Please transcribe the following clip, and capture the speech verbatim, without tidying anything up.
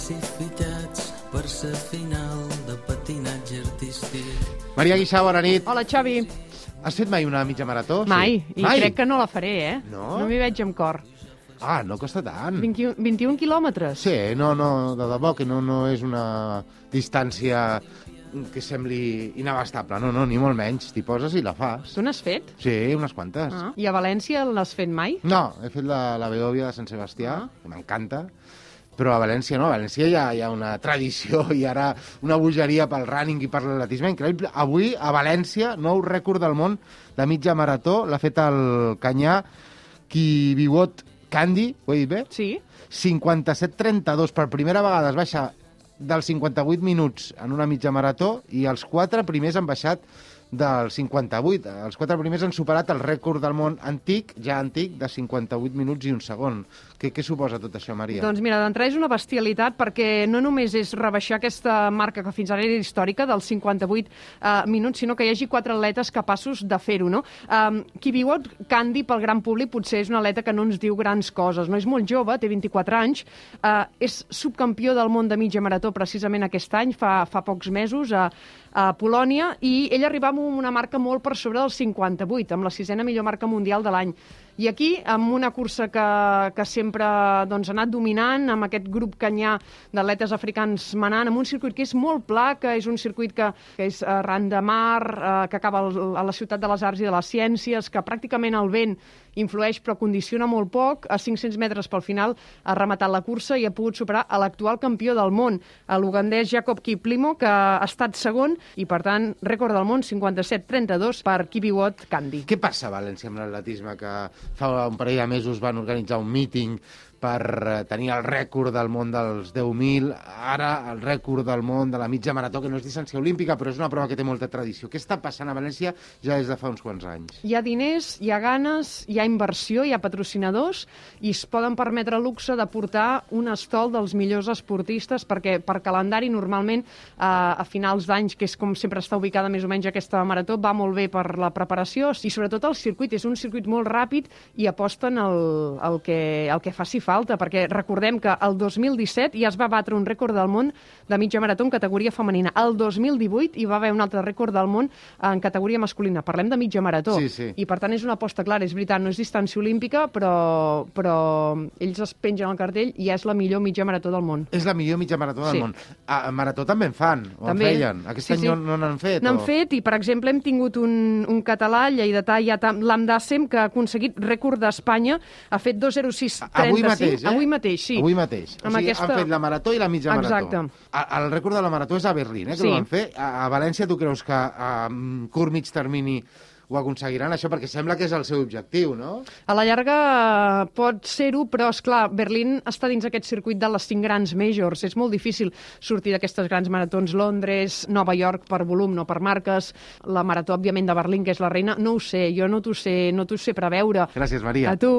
classificats per ser final de patinatge artístic. Maria Guixà, bona nit. Hola, Xavi. Has fet mai una mitja marató? Mai, Sí. i Mai? crec que no la faré, eh? No? No m'hi veig amb cor. Ah, no costa tant. vint-i-un, vint-i-un quilòmetres. Sí, no, no, de debò que no, no és una distància que sembli inabastable. No, no, ni molt menys. T'hi poses i la fas. Tu n'has fet? Sí, unes quantes. Ah. I a València l'has fet mai? No, he fet la, la Beòvia de Sant Sebastià, Ah. que m'encanta, però a València no, a València hi ha, hi ha una tradició i ara una bogeria pel running i per l'atletisme increïble. Avui, a València, nou rècord del món de mitja marató, l'ha fet el canyà Kibiwot Kandi, ho he dit bé? Sí. cinquanta-set trenta-dos, per primera vegada es baixa dels cinquanta-vuit minuts en una mitja marató i els quatre primers han baixat dels cinquanta-vuit. Els quatre primers han superat el rècord del món antic, ja antic, de cinquanta-vuit minuts i un segon. Què, què suposa tot això, Maria? Doncs mira, d'entrada és una bestialitat perquè no només és rebaixar aquesta marca que fins ara era històrica dels cinquanta-vuit eh, minuts, sinó que hi hagi quatre atletes capaços de fer-ho, no? Um, Kibiwot Kandi, pel gran públic, potser és un atleta que no ens diu grans coses, no? És molt jove, té vint-i-quatre anys, uh, és subcampió del món de mitja marató precisament aquest any, fa, fa pocs mesos, a, a Polònia, i ell arribava amb una marca molt per sobre dels cinquanta-vuit, amb la sisena millor marca mundial de l'any. I aquí, amb una cursa que, que sempre doncs, ha anat dominant, amb aquest grup canyà d'atletes africans manant, amb un circuit que és molt pla, que és un circuit que, que és arran de mar, eh, que acaba al, a la ciutat de les arts i de les ciències, que pràcticament el vent influeix però condiciona molt poc. A cinc-cents metres pel final ha rematat la cursa i ha pogut superar a l'actual campió del món, l'ugandès Jacob Kiplimo, que ha estat segon i, per tant, rècord del món cinquanta-set trenta-dos per Kibiwot Kandi. Què passa a València amb l'atletisme, que fa un parell de mesos van organitzar un míting per tenir el rècord del món dels deu mil, ara el rècord del món de la mitja marató, que no és distància olímpica, però és una prova que té molta tradició. Què està passant a València ja des de fa uns quants anys? Hi ha diners, hi ha ganes, hi ha inversió, hi ha patrocinadors i es poden permetre el luxe de portar un estol dels millors esportistes perquè per calendari normalment eh, a finals d'anys, que és com sempre està ubicada més o menys aquesta marató, va molt bé per la preparació i sobretot el circuit. És un circuit molt ràpid i aposten el, el, que, el que faci falta. Falta, perquè recordem que el dos mil disset ja es va batre un rècord del món de mitja marató en categoria femenina. El dos mil divuit hi va haver un altre rècord del món en categoria masculina. Parlem de mitja marató. Sí, sí. I per tant és una aposta clara. És veritat, no és distància olímpica, però, però ells es pengen al cartell i és la millor mitja marató del món. És la millor mitja marató del Sí. món. A, a marató també en fan, o També. en feien. Aquest Sí, any sí. no no n'han fet. N'han o... fet i, per exemple, hem tingut un, un català, lleidatà, Lamdàssem, que ha aconseguit rècord d'Espanya, ha fet dos zero sis trenta-cinc. Avui mateix, eh? Avui mateix, sí. Avui mateix. O Amb sigui, aquesta- han fet la marató i la mitja Exacte. marató. A, el rècord de la marató és a Berlín, eh, que Sí. ho van fer. A, a València tu creus que a um, curt mig termini ho aconseguiran, això? Perquè sembla que és el seu objectiu, no? A la llarga eh, pot ser-ho, però, és clar, Berlín està dins aquest circuit de les cinc grans majors. És molt difícil sortir d'aquestes grans maratons. Londres, Nova York per volum, no per marques. La marató, òbviament, de Berlín, que és la reina. No ho sé, jo no t'ho sé, no t'ho sé preveure. Gràcies, Maria. A tu.